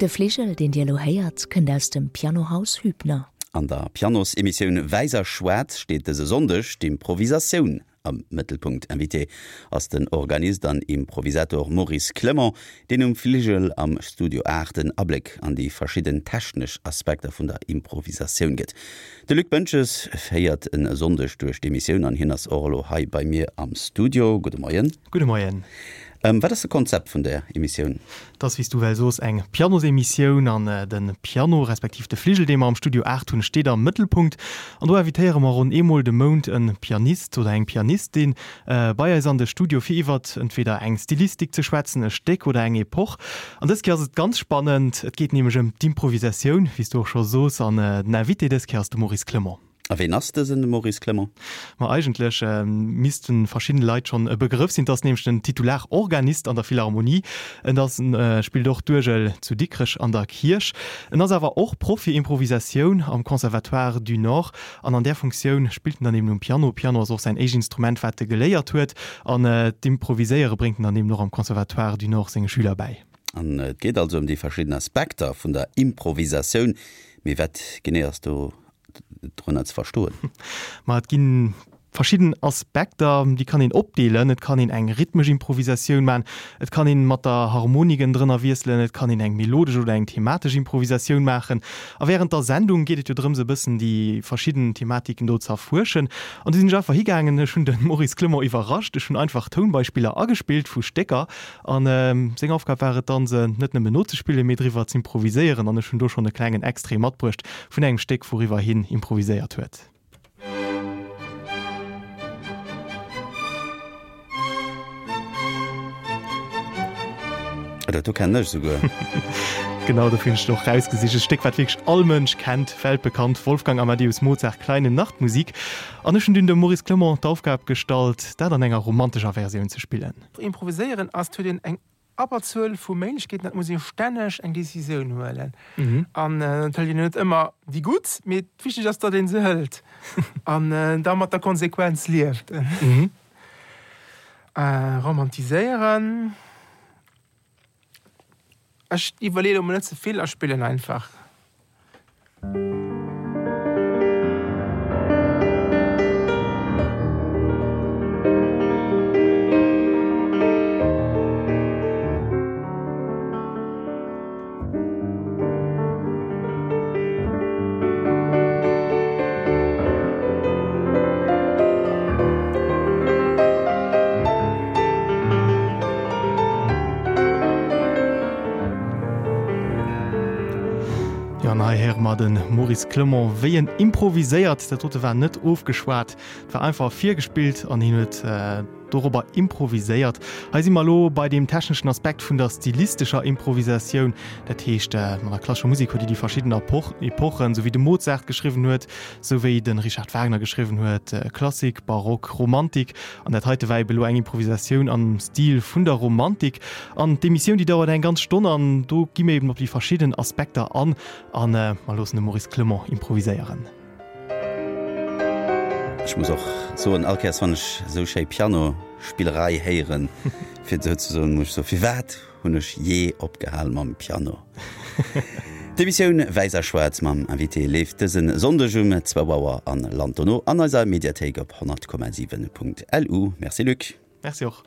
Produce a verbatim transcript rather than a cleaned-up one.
De Fligel, deen Dir elo héiert, kënnt aus dem Pianohaus Hübner. An der Pianosemissioun Wäiss a Schwaarz steet dëse Sonndeg d'Improvisatioun am Mëttelpunkt. Invité ass den Organist an Improvisator Maurice Clement, deen um Fligel am Studio aacht en Abléck an déi verschidden technesch Aspekter vun der Improvisatioun gëtt. De Luc Boentges féiert e Sonndeg duerch d'Emissioun an hien ass och elo hei bei mir am Studio. Gudde Moien. Gudde Moien. Wat ass de Konzept vun der Emissioun? Et ass, wéi s du well soos, eng Pianosemissioun an de Piano, respektiv de Fligel, dee mer am Studio aacht hunn, steet am Mëttelpunkt. An do invitéiere mer ronn eemol de Mount e Pianist oder eng Pianistin bei eis an de Studio, fir iwwert entweder eng Stilistik ze schwätzen, e Stéck oder eng Epoch. An dës Kéier ass et ganz spannend, et geet nämlech ëm d'Improvisatioun, wéi s du och scho soos, an den Invité dës Kéier ass de Maurice Clement. A ween ass dësen Maurice Clement? Ma eigentlech missten verschidden Leit schonn e Begrëff sinn. Et ass nämlech den Titularorganist an der Philharmonie. En ass spillt och d'Uergel zu Dikrech an der Kierch. En ass awer och Proff fir Improvisatioun am Conservatoire du Nord. An an där Funktioun spillt en dann eben um Piano. Piano ass och säin éischt Instrument, wat e geléiert huet. An d'Improviséiere bréngt en dann eben och am Conservatoire du Nord senge Schüler bäi. An et geet also ëm déi verschidden Aspekter vun der Improvisatioun. Mee wat genee ass do drënner ze verstoen? Ma et gi verschidden Aspekter, déi kann een opdeelen. Et kann een eng rhythmesch Improvisatioun maachen, et kann een mat der Harmonik drënner wiesselen, et kann een eng melodesch oder eng thematesch Improvisatioun maachen. A wärend der Sendung geet et jo drëms e bëssen déi verschidden Thematiken do ze erfuerschen. An du sinn ech einfach higaangen, ech hunn de Maurice Clement iwwerrascht, ech hunn einfach Tounbeispiller agespillt vu Stécker an seng Aufgab war et dann, se net nëmmen nozespillen, mee driwwer z'improviséieren. An ech hunn do schonn e klengen Extrait matbruecht vun engem Stéck, wouriwwer hien improviséiert huet. Dat do kennen ech esouguer. Genau, dofir hunn ech et och rausgesicht. E Stéck, wat wierklech all Mënsch kennt, weltbekannt, Wolfgang Amadeus Mozart, Kleine Nachtmusik. An ech hunn dunn dem Maurice Clement d'Aufgab gestallt, dat an enger romantescher Versioun ze spillen. Improviséieren ass, et huet een eng Abberzuel vu Méiglechkeeten, dat muss ee stänneg eng Decisioun huelen. An et hëlt een net ëmmer déi gutt, mee wichteg ass, datt ee se hëlt an da mat der Konsequenz lieft. Romantiséieren, ech iwwerleeë lo mol net ze vill a spillen einfach. Jo, an hei héiere mer de Maurice Clement, wéi en improviséiert. Dat dote war net ofgeschwat, et war einfach virgespillt an hien huet dorobber improviséiert. Hei si mer elo bei deem techneschen Aspekt vun der stilistescher Improvisatioun. Dat heescht, an der klassescher Musek huet Dir déi verschidden Epochen, esou wéi de Mozart geschriwwen huet, esou wéi de Richard Wagner geschriwwen huet, Klassik, Barock, Romantik. An dat heite war ebe elo eng Improvisatioun am Stil vun der Romantik. An d'Emissioun, déi dauert eng ganz Stonn an do gi mir eben op déi verschidden Aspekter an a mer loossen de Maurice Clement improviséieren. Ech muss och soen, all Kéiers wann ech esou schéi Pianospillerei héieren, fir et esou ze soen, muss ech soen, firwat hunn ech jee opgehal mam Piano? D'Emissioun Wäiss a Schwaarz mam Invité leeft dëse Sonndeg um zwou Auer an lant dono an eiser Mediathéik op honnert Komma siwen Punkt LU. Merci Luc. Merci och.